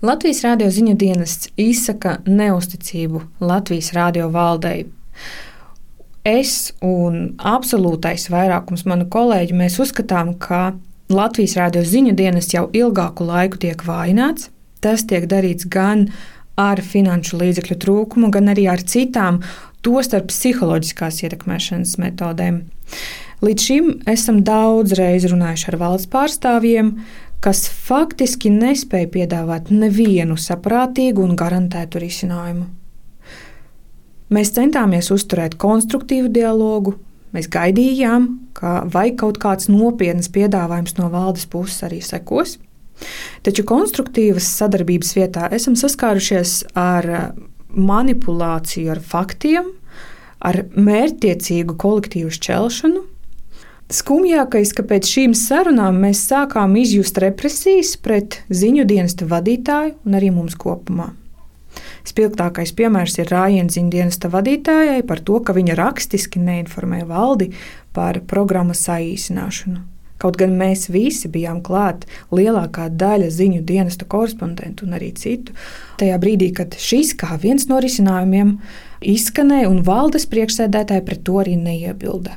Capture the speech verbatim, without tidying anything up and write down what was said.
Latvijas Rādio ziņu dienests izsaka neusticību Latvijas Rādio valdei. Es un absolūtais vairākums manu kolēģu mēs uzskatām, ka Latvijas Rādio ziņu dienests jau ilgāku laiku tiek vājināts. Tas tiek darīts gan ar finanšu līdzekļu trūkumu, gan arī ar citām, tostarp psiholoģiskās ietekmēšanas metodēm. Līdz šim esam daudz reizi runājuši ar valsts pārstāvjiem, kas faktiski nespēja piedāvāt nevienu saprātīgu un garantētu risinājumu. Mēs centāmies uzturēt konstruktīvu dialogu, mēs gaidījām, ka vai kaut kāds nopietns piedāvājums no valdes puses arī sekos, taču konstruktīvas sadarbības vietā esam saskārušies ar manipulāciju ar faktiem, ar mērķtiecīgu kolektīvu šķelšanu. Skumjākais, ka pēc šīm sarunām mēs sākām izjust represijas pret ziņu dienesta vadītāju un arī mums kopumā. Spilgtākais piemērs ir rājiens ziņu dienesta vadītājai par to, ka viņa rakstiski neinformē valdi par programmas saīsināšanu. Kaut gan mēs visi bijām klāt, lielākā daļa ziņu dienesta korespondentu un arī citu, tajā brīdī, kad šis kā viens no risinājumiem izskanēja un valdes priekšsēdētāji pret to arī neiebilda.